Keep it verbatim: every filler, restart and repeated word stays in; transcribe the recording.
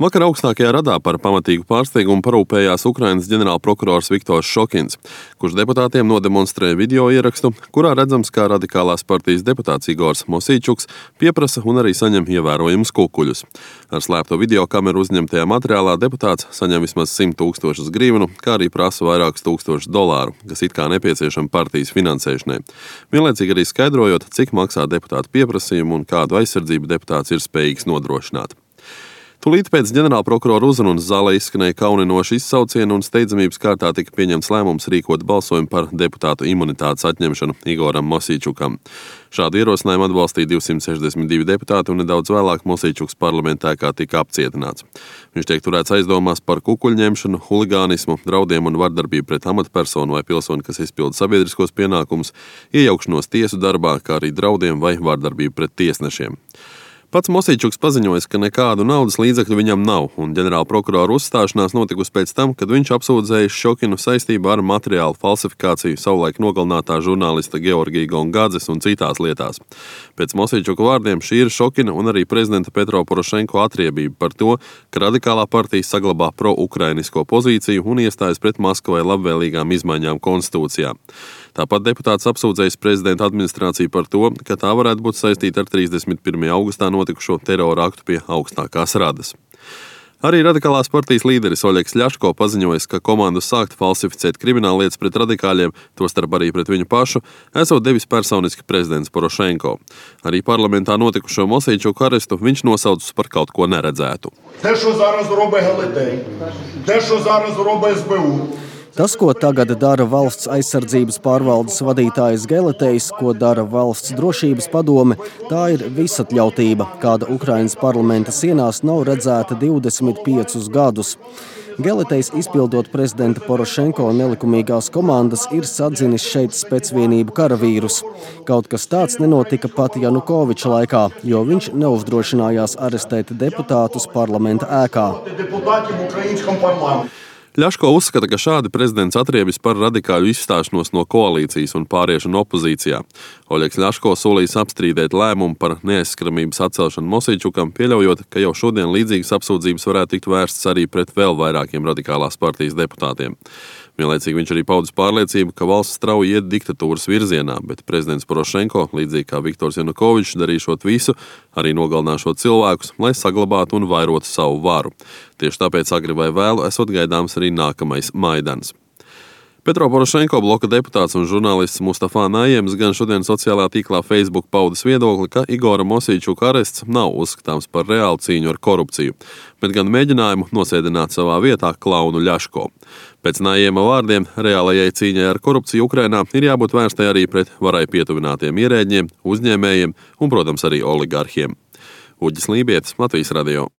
Vakar augstākajā radā par pamatīgu pārsteigumu parūpējās Ukrainas ģenerālprokurors Viktors Šokins, kurš deputātiem nodemonstrēja video ierakstu, kurā redzams, kā radikālās partijas deputāts Igors Mosīčuks pieprasa un arī saņem ievērojumus kukuļus. Ar slēpto video kameru uzņemtajā materiālā deputāts saņem vismaz simt tūkstošus grivnu, kā arī prasa vairākus tūkstošus dolāru, kas it kā nepieciešama partijas finansēšanai. Vienlaicīgi arī skaidrojot, cik maksā deputāta pieprasījumu un kādu aizsardzību deputāts ir spējīgs nodrošināt. Tūlīt pēc ģenerālprokurora uzrunas zālē izskanēja kauninoši izsaucieni un steidzamības kārtā tika pieņemts lēmums rīkot balsojumu par deputātu imunitātes atņemšanu Igoram Mosīčukam. Šādu ierosinājumu atbalstīja divsimt sešdesmit divi deputāti un nedaudz vēlāk Mosīčuks parlamentā kā tika apcietināts. Viņš tiek turēts aizdomās par kukuļņemšanu, huligānismu, draudiem un vardarbību pret amatpersonu vai pilsoni, kas izpilda sabiedriskos pienākumus, iejaukšanos tiesu darbā, kā arī draudiem vai vardarbību pret tiesnešiem. Pats Mosīčuks paziņoja, ka nekādu naudas līdzekļu viņam nav, un ģenerālprokurora uzstāšanās notikusi pēc tam, kad viņš apsūdzējis Šokinu saistībā ar materiālu falsifikāciju savulaik nogalinātā žurnālista Georgija Gongadzes un citās lietās. Pēc Mosīčuka vārdiem šī ir Šokina un arī prezidenta Petro Porošenko atriebība par to, ka radikālā partija saglabā pro-ukrainisko pozīciju un iestājas pret Maskavai labvēlīgām izmaiņām konstitūcijā. Tāpat deputāts apsūdzējis prezidenta administrāciju par to, ka tā varētu būt saistīta ar trīsdesmit pirmajā augustā notikušo terora aktu pie augstākās radas. Arī radikālās partijas līderis Oļegs Ļaško paziņojis, ka komandu sākt falsificēt krimināllietas pret radikāļiem, tostarp arī pret viņu pašu, esot devis personiski prezidents Porošenko. Arī parlamentā notikušo Mosīčuku arestu viņš nosaucis par kaut ko neredzētu. Те, що зараз робить Гелетей, те, що зараз робить ес be u. Tas, ko tagad dara valsts aizsardzības pārvaldes vadītājs Geletejs, ko dara valsts drošības padome, tā ir visatļautība, kāda Ukrainas parlamenta sienās nav redzēta divdesmit piecus gadus. Geletejs, izpildot prezidenta Porošenko nelikumīgās komandas, ir sadzinis šeit specvienību karavīrus. Kaut kas tāds nenotika pat Janukoviča laikā, jo viņš neuzdrošinājās arestēt deputātus parlamenta ēkā. Ļaško uzskata, ka šādi prezidents atriebis par radikāļu izstāšanos no koalīcijas un pāriešanu opozīcijā. Oļegs Ļaško solījis apstrīdēt lēmumu par neaizskaramības atcelšanu Mosīčukam, pieļaujot, ka jau šodien līdzīgas apsūdzības varētu tikt vērstas arī pret vēl vairākiem radikālās partijas deputātiem. Vienlaicīgi viņš arī paudis pārliecību, ka valsts strauji iet diktatūras virzienā, bet prezidents Porošenko, līdzīgi kā Viktors Janukovičs, darīšot visu, arī nogalināšot cilvēkus, lai saglabātu un vairotu savu varu. Tieši tāpēc agri vai vēlu esot gaidāms arī nākamais Maidans. Petro Porošenko bloka deputāts un žurnālists Mustafa Najiems gan šodien sociālā tīklā Facebook paudis viedokli, ka Igora Mosīčuka arests nav uzskatāms par reālu cīņu ar korupciju, bet gan mēģinājumu nosēdināt savā vietā klaunu Ļaško. Pēc Najiema vārdiem, reālajai cīņai ar korupciju Ukrainā ir jābūt vērstai arī pret varai pietuvinātiem ierēģiem, uzņēmējiem un, protams, arī oligarhiem. Uģis Lībietis, Latvijas radio.